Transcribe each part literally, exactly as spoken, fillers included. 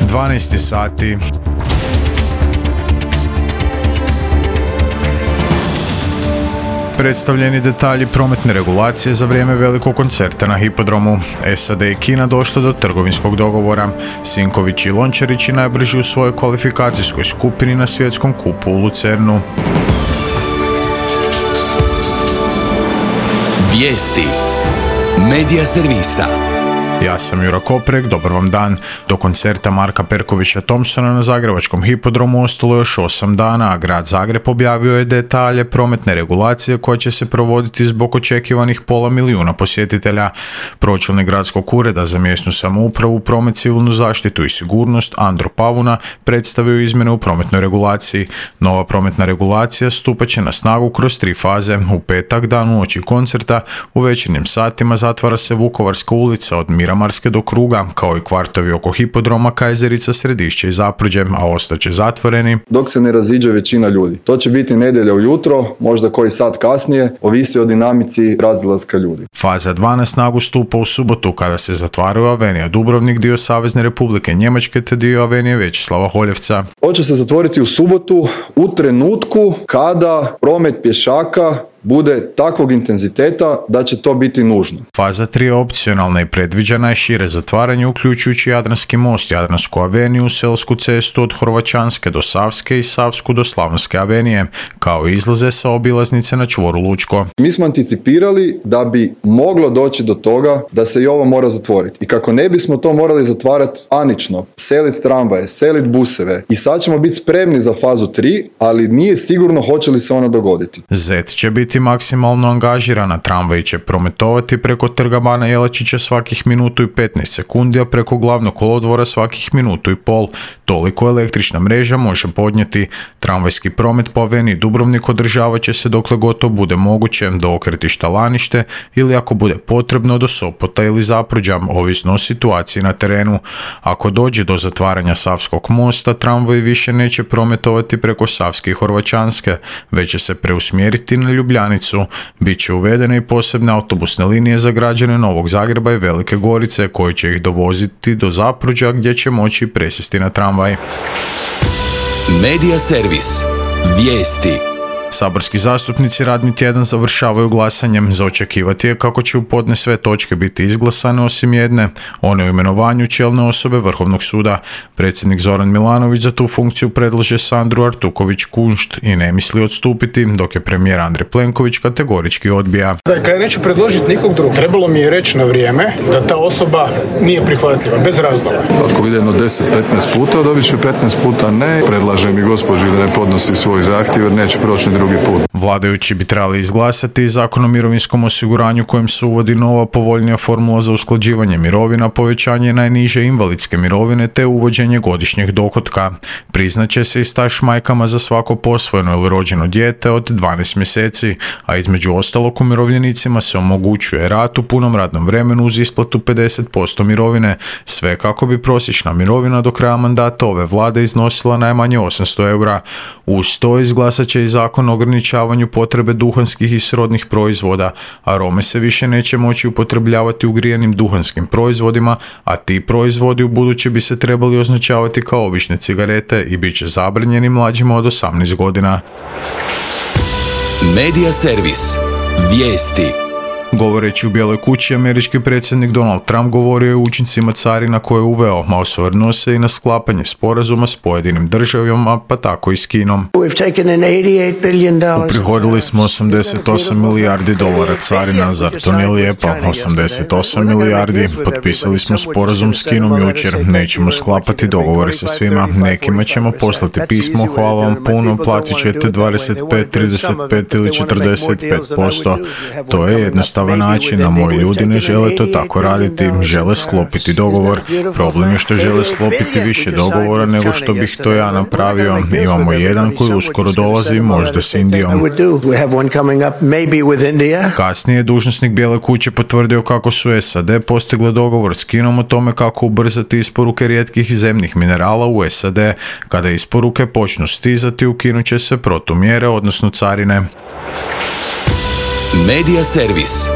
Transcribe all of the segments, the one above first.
dvanaest sati. Predstavljeni detalji prometne regulacije za vrijeme velikog koncerta na hipodromu. S A D i Kina došlo do trgovinskog dogovora. Sinković i Lončarić najbrži u svojoj kvalifikacijskoj skupini na svjetskom kupu u Lucernu. Vijesti Medija servisa. Ja sam Jura Koprek, dobar vam dan. Do koncerta Marka Perkovića Thompsona na zagrebačkom hipodromu ostalo još osam dana, a grad Zagreb objavio je detalje prometne regulacije koja će se provoditi zbog očekivanih pola milijuna posjetitelja. Pročelnik gradskog ureda za mjesnu samoupravu, promet, civilnu zaštitu i sigurnost Andro Pavuna predstavio izmjene u prometnoj regulaciji. Nova prometna regulacija stupat će na snagu kroz tri faze. U petak, dan uoči koncerta, u večernjim satima zatvara se Vukovarska ulica od Miramarske do Kruga, kao i kvartovi oko hipodroma, Kajzerica, Središće i Zapruđe, a ostaće zatvoreni dok se ne raziđe većina ljudi. To će biti nedjelja ujutro, možda koji sat kasnije, ovisi o dinamici razilaska ljudi. Faza dva na snagu stupa u subotu, kada se zatvaraju Avenija Dubrovnik, dio Savezne Republike Njemačke te dio Avenije Vječislava Holjevca. To će se zatvoriti u subotu u trenutku kada promet pješaka bude takvog intenziteta da će to biti nužno. Faza tri je opcionalna i predviđena je šire zatvaranje, uključujući Jadranski most, Jadransku aveniju, Selsku cestu od Horvaćanske do Savske i Savsku do Slavonske avenije, kao i izlaze sa obilaznice na čvoru Lučko. Mi smo anticipirali da bi moglo doći do toga da se i ovo mora zatvoriti. I kako ne bismo to morali zatvarati anično, seliti tramvaje, seliti buseve, i sad ćemo biti spremni za fazu tri, ali nije sigurno hoće li se ona dogoditi. Zet će biti maksimalno angažirana, tramvaji će prometovati preko Trga Bana Jelačića svakih minutu i petnaest sekundi, a preko glavnog kolodvora svakih minutu i pol. Toliko električna mreža može podnijeti. Tramvajski promet po Aveniji Dubrovnik održavat će se dokle gotovo bude moguće, do okretišta Lanište ili ako bude potrebno do Sopota ili Zapruđa, ovisno o situaciji na terenu. Ako dođe do zatvaranja Savskog mosta, tramvaji više neće prometovati preko Savske i Horvaćanske, već će se preusmjeriti na Ljubljanicu. Biće uvedene i posebne autobusne linije za građane Novog Zagreba i Velike Gorice, koji će ih dovoziti do Zapruđa, gdje će moći presjesti na tramvaj. Medija servis. Vijesti. Saborski zastupnici radni tjedan završavaju glasanjem. Za očekivati je kako će u podne sve točke biti izglasane osim jedne, one o imenovanju čelne osobe Vrhovnog suda. Predsjednik Zoran Milanović za tu funkciju predlaže Sandru Artuković-Kunšt i ne misli odstupiti, dok je premijer Andrej Plenković kategorički odbija. Dakle, ja neću predložiti nikog drugog. Trebalo mi je reći na vrijeme da ta osoba nije prihvatljiva, bez razloga. Ako ide jedno deset petnaest puta, dobit će petnaest puta ne. Predlažem i gospođi da ne podnosi svoj zahtjev jer neće proći drugi put. Vladajući bi trebali izglasati Zakon o mirovinskom osiguranju kojim se uvodi nova povoljnija formula za usklađivanje mirovina, povećanje najniže invalidske mirovine te uvođenje godišnjeg dohotka. Priznaće se i staž majkama za svako posvojeno ili rođeno dijete od dvanaest mjeseci, a između ostalog umirovljenicima se omogućuje rad u punom radnom vremenu uz isplatu pedeset posto mirovine, sve kako bi prosječna mirovina do kraja mandata ove vlade iznosila najmanje osamsto eura. Uz to izglasat će i Zakon o ograničavanju potrebe duhanskih i srodnih proizvoda. Arome se više neće moći upotrebljavati u grijanim duhanskim proizvodima, a ti proizvodi u buduće bi se trebali označavati kao obične cigarete i bit će zabranjeni mlađima od osamnaest godina. Medija servis. Vijesti. Govoreći u Bijeloj kući, američki predsjednik Donald Trump govorio je o učincima carina koje je uveo, a osvrnuo se i na sklapanje sporazuma s pojedinim državama, pa tako i s Kinom. Uprihodili smo osamdeset osam milijardi dolara carina, zar to nije lijepo? osamdeset osam milijardi. Potpisali smo sporazum s Kinom jučer, nećemo sklapati dogovore sa svima, nekima ćemo poslati pismo, hvala vam puno, platit ćete dvadeset pet, trideset pet ili četrdeset pet posto. To je jednostavno način, a moji ljudi ne žele to tako raditi, žele sklopiti dogovor. Problem je što žele sklopiti više dogovora nego što bih to ja napravio. Imamo jedan koji uskoro dolazi, možda s Indijom. Kasnije je dužnosnik Bijele kuće potvrdio kako su S A D postigle dogovor s Kinom o tome kako ubrzati isporuke rijetkih zemnih minerala u S A D. Kada isporuke počnu stizati, ukinut će se protumjere, odnosno carine. Medija servis.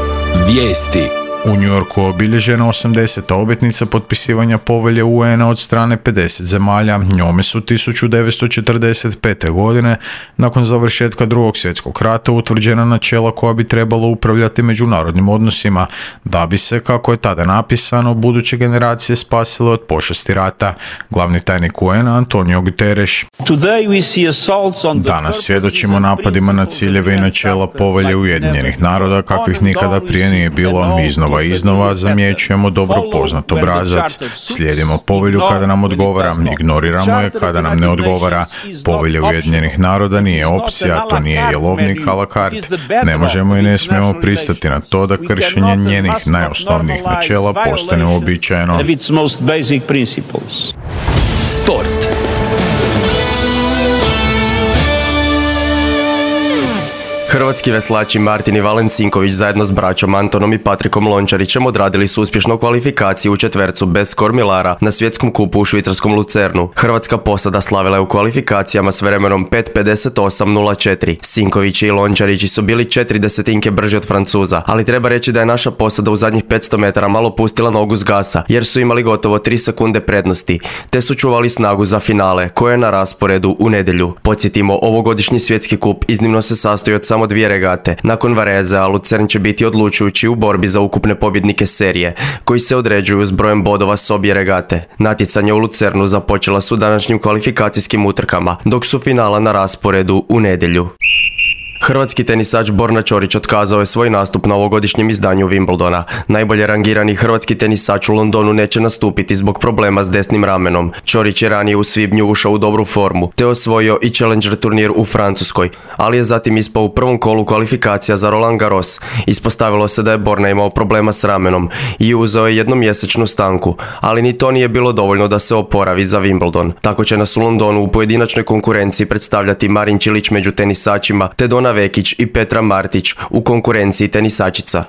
Vijesti. U New Yorku je obilježena osamdeseta obljetnica potpisivanja povelje U N-a od strane pedeset zemalja. Njome su tisuću devetsto četrdeset pete. godine, nakon završetka drugog svjetskog rata, utvrđena načela koja bi trebalo upravljati međunarodnim odnosima, da bi se, kako je tada napisano, buduće generacije spasile od pošasti rata. Glavni tajnik U N-a Antonio Guterres. Danas svjedočimo napadima na ciljeve i načela povelje Ujedinjenih naroda kakvih nikada prije nije bilo. Mi iznova i iznova zamjećujemo dobro poznat obrazac. Slijedimo povelju kada nam odgovara, ignoriramo je kada nam ne odgovara. Povelja Ujedinjenih naroda nije opcija, to nije jelovnik a la carte. Ne možemo i ne smijemo pristati na to da kršenje njenih najosnovnijih načela postane uobičajeno. Sport. Hrvatski veslači Martin i Valen Sinković zajedno s braćom Antonom i Patrikom Lončarićem odradili su uspješno kvalifikaciju u četvercu bez kormilara na svjetskom kupu u švicarskom Lucernu. Hrvatska posada slavila je u kvalifikacijama s vremenom pet pedeset osam nula četiri. Sinkovići i Lončarići su bili četiri desetinke brži od Francuza, ali treba reći da je naša posada u zadnjih petsto metara malo pustila nogu s gasa, jer su imali gotovo tri sekunde prednosti, te su čuvali snagu za finale, koje je na rasporedu u nedjelju. Podsjetimo, ovogodišnji svjetski kup iznimno se sastoji od samo dvije regate. Nakon Varezea, Lucern će biti odlučujući u borbi za ukupne pobjednike serije, koji se određuju s brojem bodova s obje regate. Natjecanje u Lucernu započela su današnjim kvalifikacijskim utrkama, dok su finala na rasporedu u nedjelju. Hrvatski tenisač Borna Ćorić otkazao je svoj nastup na ovogodišnjem izdanju Wimbledona. Najbolje rangirani hrvatski tenisač u Londonu neće nastupiti zbog problema s desnim ramenom. Ćorić je ranije u svibnju ušao u dobru formu, te osvojio i Challenger turnir u Francuskoj, ali je zatim ispao u prvom kolu kvalifikacija za Roland Garros. Ispostavilo se da je Borna imao problema s ramenom i uzeo je jednomjesečnu stanku, ali ni to nije bilo dovoljno da se oporavi za Wimbledon. Tako će nas u Londonu u pojedinačnoj konkurenciji predstavljati Marin Čilić među tenisačima, te Dona Vekić i Petra Martić u konkurenciji tenisačica.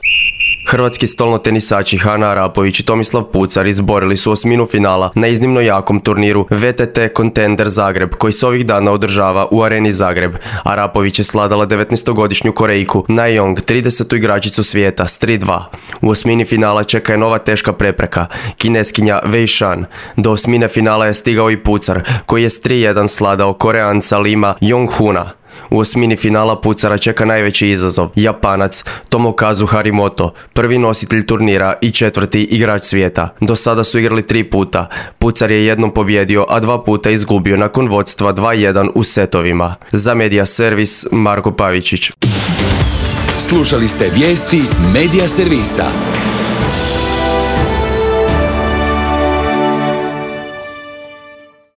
Hrvatski stolnotenisači Hana Arapović i Tomislav Pucar izborili su osminu finala na iznimno jakom turniru V T T Contender Zagreb, koji se ovih dana održava u Areni Zagreb. Arapović je sladala devetnaestogodišnju Korejku Na Jong, tridesetu igračicu svijeta, s tri dva. U osmini finala čeka je nova teška prepreka, Kineskinja Wei Shan. Do osmine finala je stigao i Pucar, koji je s tri jedan sladao Koreanca Lima Jong-huna. U osmini finala Pucara čeka najveći izazov, Japanac Tomokazu Harimoto, prvi nositelj turnira i četvrti igrač svijeta. Do sada su igrali tri puta. Pucar je jednom pobjedio, a dva puta izgubio nakon vodstva dva jedan u setovima. Za Media Servis, Marko Pavičić. Slušali ste vijesti Media Servisa.